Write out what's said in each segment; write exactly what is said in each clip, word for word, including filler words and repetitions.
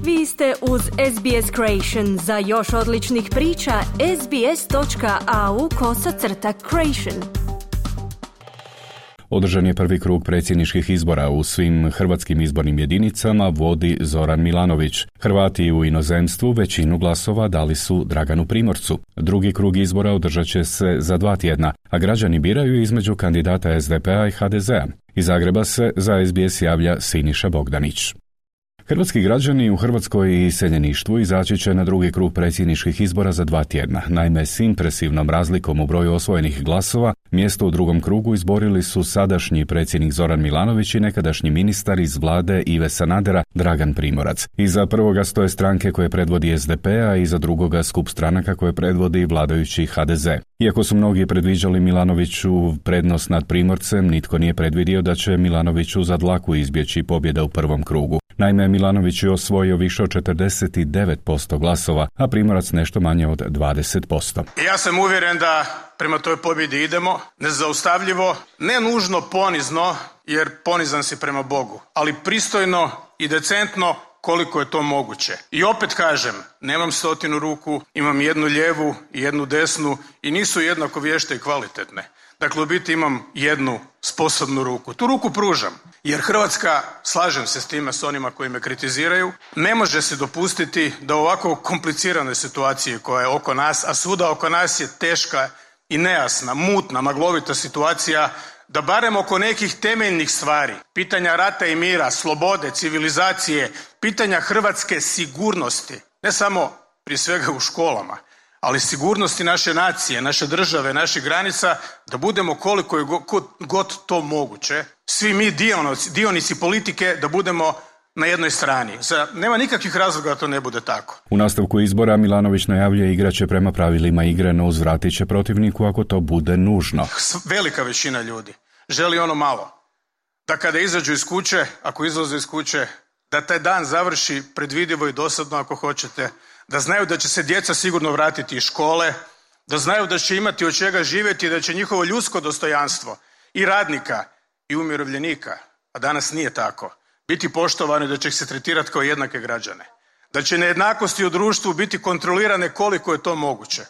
Vi ste uz S B S Creation. Za još odličnih priča, sbs.au kosacrta creation. Održan je prvi krug predsjedničkih izbora u svim hrvatskim izbornim jedinicama, vodi Zoran Milanović. Hrvati u inozemstvu većinu glasova dali su Draganu Primorcu. Drugi krug izbora održat će se za dva tjedna, a građani biraju između kandidata S D P-a i H D Z-a. Iz Zagreba se za S B S javlja Siniša Bogdanić. Hrvatski građani u Hrvatskoj i iseljeništvu izaći će na drugi krug predsjedničkih izbora za dva tjedna. Naime, s impresivnom razlikom u broju osvojenih glasova, mjesto u drugom krugu izborili su sadašnji predsjednik Zoran Milanović i nekadašnji ministar iz vlade Ive Sanadera Dragan Primorac. Iza prvoga stoje stranke koje predvodi S D P, a iza drugoga skup stranaka koje predvodi vladajući H D Z. Iako su mnogi predviđali Milanoviću prednost nad Primorcem, nitko nije predvidio da će Milanoviću za dlaku izbjeći pobjeda u prvom krugu. Naime, Milanović je osvojio više od četrdeset devet posto glasova, a Primorac nešto manje od dvadeset posto. Ja sam uvjeren da prema toj pobjedi idemo, nezaustavljivo, ne nužno ponizno, jer ponizan si prema Bogu, ali pristojno i decentno koliko je to moguće. I opet kažem, nemam stotinu ruku, imam jednu lijevu i jednu desnu i nisu jednako vješte i kvalitetne. Dakle, u biti imam jednu sposobnu ruku. Tu ruku pružam, jer Hrvatska, slažem se s time s onima koji me kritiziraju, ne može se dopustiti da u ovako kompliciranoj situaciji koja je oko nas, a svuda oko nas je teška i nejasna, mutna, maglovita situacija, da barem oko nekih temeljnih stvari, pitanja rata i mira, slobode, civilizacije, pitanja hrvatske sigurnosti, ne samo prije svega u školama, ali sigurnosti naše nacije, naše države, naših granica, da budemo koliko je god to moguće, svi mi dionici, dionici politike, da budemo na jednoj strani. Za, nema nikakvih razloga da to ne bude tako. U nastavku izbora Milanović najavljuje igraće prema pravilima igre, no uzvratit će protivniku ako to bude nužno. Velika većina ljudi želi ono malo. Da kada izađu iz kuće, ako izlaze iz kuće, da taj dan završi predvidivo i dosadno ako hoćete, da znaju da će se djeca sigurno vratiti iz škole, da znaju da će imati od čega živjeti, da će njihovo ljudsko dostojanstvo i radnika i umirovljenika, a danas nije tako, biti poštovano i da će ih se tretirati kao jednake građane. Da će nejednakosti u društvu biti kontrolirane koliko je to moguće.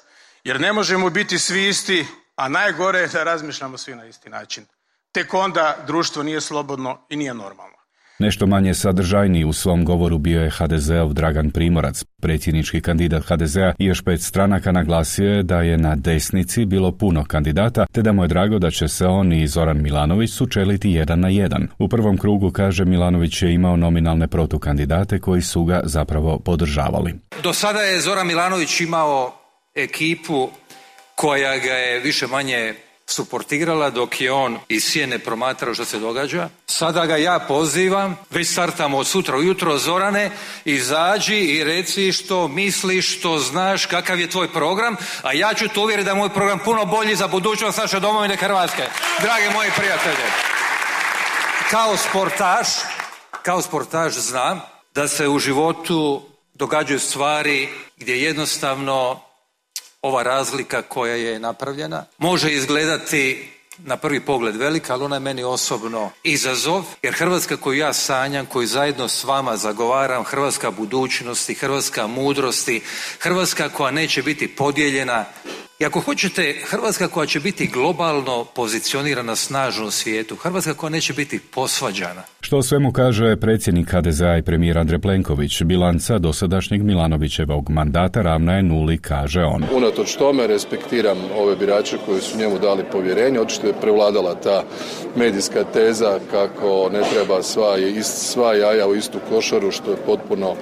Jer ne možemo biti svi isti, a najgore je da razmišljamo svi na isti način. Tek onda društvo nije slobodno i nije normalno. Nešto manje sadržajniji u svom govoru bio je H D Z-ov Dragan Primorac. Predsjednički kandidat H D Z-a i još pet stranaka naglasio je da je na desnici bilo puno kandidata, te da mu je drago da će se on i Zoran Milanović sučeliti jedan na jedan. U prvom krugu, kaže, Milanović je imao nominalne protukandidate koji su ga zapravo podržavali. Do sada je Zoran Milanović imao ekipu koja ga je više manje suportirala dok je on iz sjene promatrao što se događa. Sada ga ja pozivam, već startamo od sutra ujutro, Zorane, izađi i reci što misliš, što znaš, kakav je tvoj program, a ja ću te uvjeriti da je moj program puno bolji za budućnost naše domovine Hrvatske. Drage moji prijatelje, kao sportaš, kao sportaš znam da se u životu događaju stvari gdje jednostavno ova razlika koja je napravljena može izgledati na prvi pogled velika, ali ona je meni osobno izazov, jer Hrvatska koju ja sanjam, koju zajedno s vama zagovaram, Hrvatska budućnosti, Hrvatska mudrosti, Hrvatska koja neće biti podijeljena, i ako hoćete, Hrvatska koja će biti globalno pozicionirana snažno u svijetu, Hrvatska koja neće biti posvađana. Što o svemu kaže predsjednik H D Z-a i premijer Andrej Plenković, bilanca dosadašnjeg Milanovićevog mandata ravna je nuli, kaže on. Unatoč tome respektiram ove birače koji su njemu dali povjerenje. Očito je prevladala ta medijska teza kako ne treba sva, sva jaja u istu košaru, što je potpuno,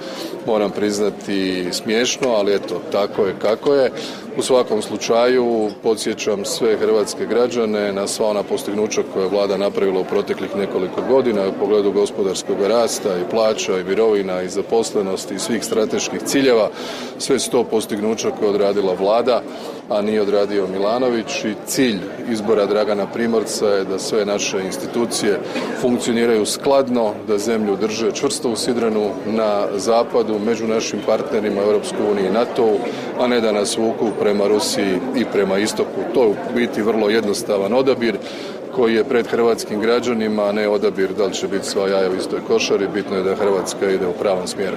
moram priznati, smiješno, ali eto, tako je kako je. U svakom slučaju podsjećam sve hrvatske građane na sva ona postignuća koje je vlada napravila u proteklih nekoliko godina u pogledu gospodarskog rasta i plaća i mirovina i zaposlenosti i svih strateških ciljeva. Sve su to postignuća koje je odradila vlada, a nije odradio Milanović, i cilj izbora Dragana Primorca je da sve naše institucije funkcioniraju skladno, da zemlju drže čvrsto usidrenu na zapadu, među našim partnerima Europskoj uniji i NATO-u, a ne da nas vuku prema Rusiji i prema istoku. To je u biti vrlo jednostavan odabir koji je pred hrvatskim građanima, a ne odabir da li će biti sva jaja u istoj košari. Bitno je da Hrvatska ide u pravom smjeru.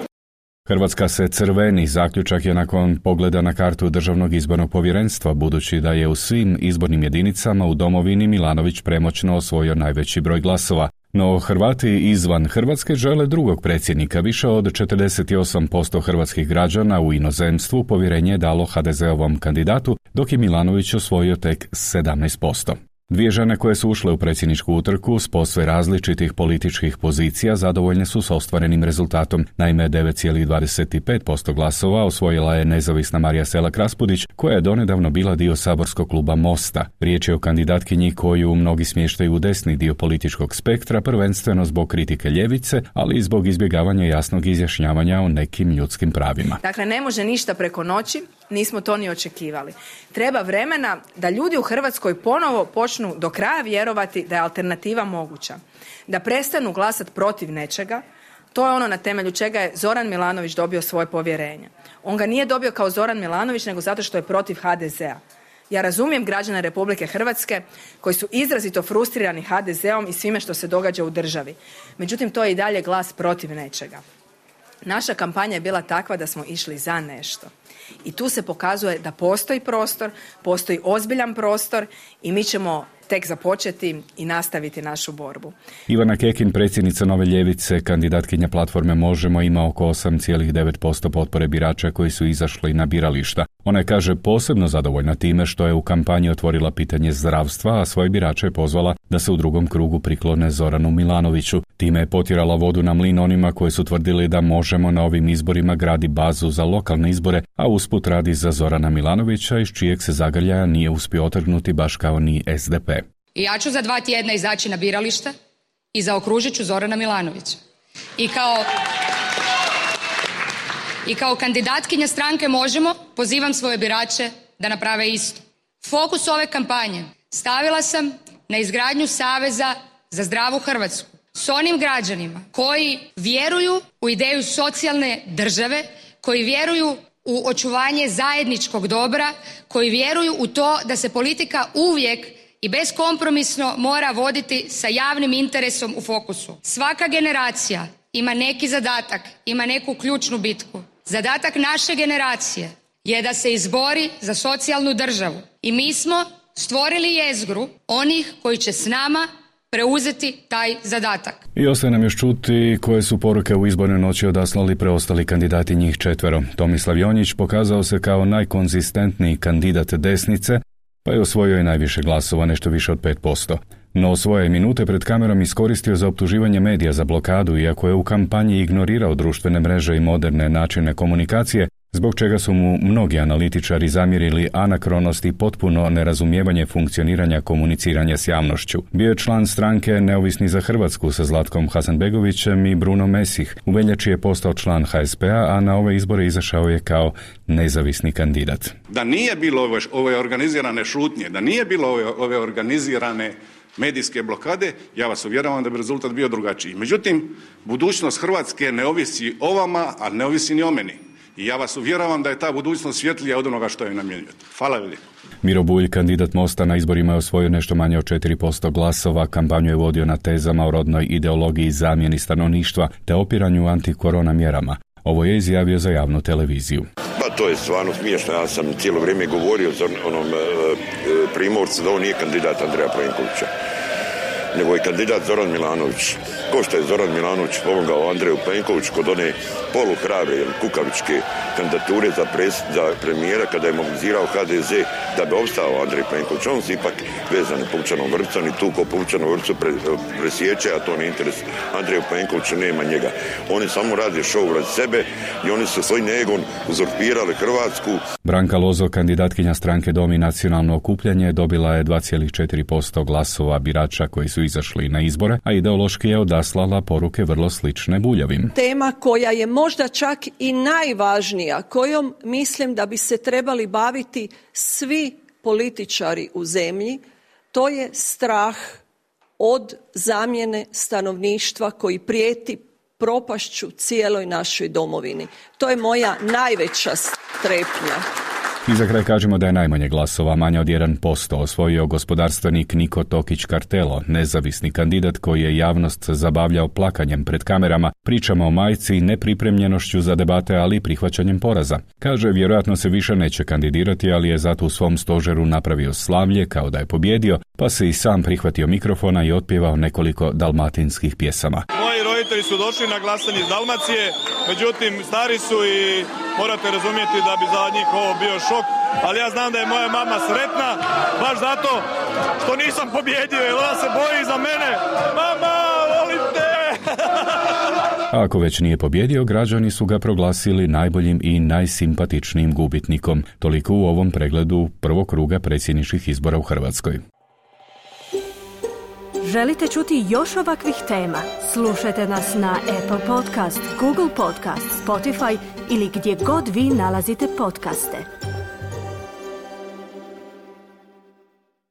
Hrvatska se crveni, zaključak je nakon pogleda na kartu Državnog izbornog povjerenstva, budući da je u svim izbornim jedinicama u domovini Milanović premoćno osvojio najveći broj glasova. No Hrvati izvan Hrvatske žele drugog predsjednika. Više od četrdeset osam posto hrvatskih građana u inozemstvu povjerenje je dalo ha de zeovom kandidatu, dok je Milanović osvojio tek sedamnaest posto. Dvije žene koje su ušle u predsjedničku utrku s posve različitih političkih pozicija zadovoljne su s ostvarenim rezultatom. Naime, devet zarez dvadeset pet posto glasova osvojila je nezavisna Marija Selak Raspudić, koja je donedavno bila dio saborskog kluba Mosta. Riječ je o kandidatkinji koju mnogi smještaju u desni dio političkog spektra, prvenstveno zbog kritike ljevice, ali i zbog izbjegavanja jasnog izjašnjavanja o nekim ljudskim pravima. Dakle, ne može ništa preko noći. Nismo to ni očekivali. Treba vremena da ljudi u Hrvatskoj ponovo počnu do kraja vjerovati da je alternativa moguća. Da prestanu glasati protiv nečega. To je ono na temelju čega je Zoran Milanović dobio svoje povjerenje. On ga nije dobio kao Zoran Milanović, nego zato što je protiv ha de zea. Ja razumijem građane Republike Hrvatske koji su izrazito frustrirani ha de zeom i svime što se događa u državi. Međutim, to je i dalje glas protiv nečega. Naša kampanja je bila takva da smo išli za nešto. I tu se pokazuje da postoji prostor, postoji ozbiljan prostor i mi ćemo tek započeti i nastaviti našu borbu. Ivana Kekin, predsjednica Nove ljevice, kandidatkinja platforme Možemo, ima oko osam zarez devet posto potpore birača koji su izašli na birališta. Ona je, kaže, posebno zadovoljna time što je u kampanji otvorila pitanje zdravstva, a svoje birače je pozvala da se u drugom krugu priklone Zoranu Milanoviću. Time je potjerala vodu na mlin onima koji su tvrdili da Možemo na ovim izborima gradi bazu za lokalne izbore, a usput radi za Zorana Milanovića, iz čijeg se zagrljaja nije uspio otrgnuti baš kao ni es de pe. I ja ću za dva tjedna izaći na biralište i zaokružit ću Zorana Milanovića. I kao, I kao kandidatkinja stranke Možemo pozivam svoje birače da naprave isto. Fokus ove kampanje stavila sam na izgradnju Saveza za zdravu Hrvatsku s onim građanima koji vjeruju u ideju socijalne države, koji vjeruju u očuvanje zajedničkog dobra, koji vjeruju u to da se politika uvijek i beskompromisno mora voditi sa javnim interesom u fokusu. Svaka generacija ima neki zadatak, ima neku ključnu bitku. Zadatak naše generacije je da se izbori za socijalnu državu. I mi smo stvorili jezgru onih koji će s nama preuzeti taj zadatak. I ostaje nam još čuti koje su poruke u izbornoj noći odaslali preostali kandidati, njih četvero. Tomislav Jonjić pokazao se kao najkonzistentniji kandidat desnice, pa je osvojio i najviše glasova, nešto više od pet posto. No svoje minute pred kamerom iskoristio za optuživanje medija za blokadu, iako je u kampanji ignorirao društvene mreže i moderne načine komunikacije, zbog čega su mu mnogi analitičari zamjerili anakronost i potpuno nerazumijevanje funkcioniranja komuniciranja s javnošću. Bio je član stranke Neovisni za Hrvatsku sa Zlatkom Hasanbegovićem i Bruno Mesih. U veljači je postao član ha es pe a, a na ove izbore izašao je kao nezavisni kandidat. Da nije bilo ove, ove organizirane šutnje, da nije bilo ove, ove organizirane medijske blokade, ja vas uvjeravam da bi rezultat bio drugačiji. Međutim, budućnost Hrvatske ne ovisi o vama, a ne ovisi ni o meni. I ja vas uvjeravam da je ta budućnost svjetlija od onoga što je namjenjujete. Hvala ljudi. Miro Bulj, kandidat Mosta, na izborima je osvojio nešto manje od četiri posto glasova. Kampanju je vodio na tezama o rodnoj ideologiji i zamjeni stanovništva te opiranju antikorona mjerama. Ovo je izjavio za javnu televiziju. Pa to je stvarno smiješno. Ja sam cijelo vrijeme govorio za onom e, Primorcu da on nije kandidat Andreja Plenkovića, nego je kandidat Zoran Milanović. Ko što je Zoran Milanović pomogao Andreju Plenkoviću kod one poluhrabre ili kukavičke kandidature za, pres, za premijera kada je mobilizirao ha de ze da bi opstao Andrej Plenković. On se ipak vezan Pučanom vrpcom i tu ko Pučanom vrpcu pre, presjeće, a to ne interes Andreju Plenkoviću, nema njega. Oni samo rade šou radi sebe i oni su svoj negon uzurpirali Hrvatsku. Branka Lozo, kandidatkinja stranke Dom i nacionalno okupljanje, dobila je dva zarez četiri posto glasova birača koji su izašli na izbore, a ideološki je odaslala poruke vrlo slične Buljavim. Tema koja je možda čak i najvažnija, kojom mislim da bi se trebali baviti svi političari u zemlji, to je strah od zamjene stanovništva koji prijeti propašću cijeloj našoj domovini. To je moja najveća strepnja. I za kraj kažemo da je najmanje glasova, manje od jedan posto, osvojio gospodarstvenik Niko Tokić Kartelo, nezavisni kandidat koji je javnost zabavljao plakanjem pred kamerama, pričama o majci i nepripremljenošću za debate, ali i prihvaćanjem poraza. Kaže, vjerojatno se više neće kandidirati, ali je zato u svom stožeru napravio slavlje kao da je pobjedio, pa se i sam prihvatio mikrofona i otpjevao nekoliko dalmatinskih pjesama. Moji roditelji su došli na glasanje iz Dalmacije, međutim stari su i morate razumjeti da bi za njih ovo bio šok, ali ja znam da je moja mama sretna, baš zato što nisam pobjedio, jer ona se boji za mene. Mama, volim te! A ako već nije pobjedio, građani su ga proglasili najboljim i najsimpatičnijim gubitnikom. Toliko u ovom pregledu prvog kruga predsjedničkih izbora u Hrvatskoj. Želite čuti još ovakvih tema? Slušajte nas na Apple Podcast, Google Podcast, Spotify ili gdje god vi nalazite podcaste.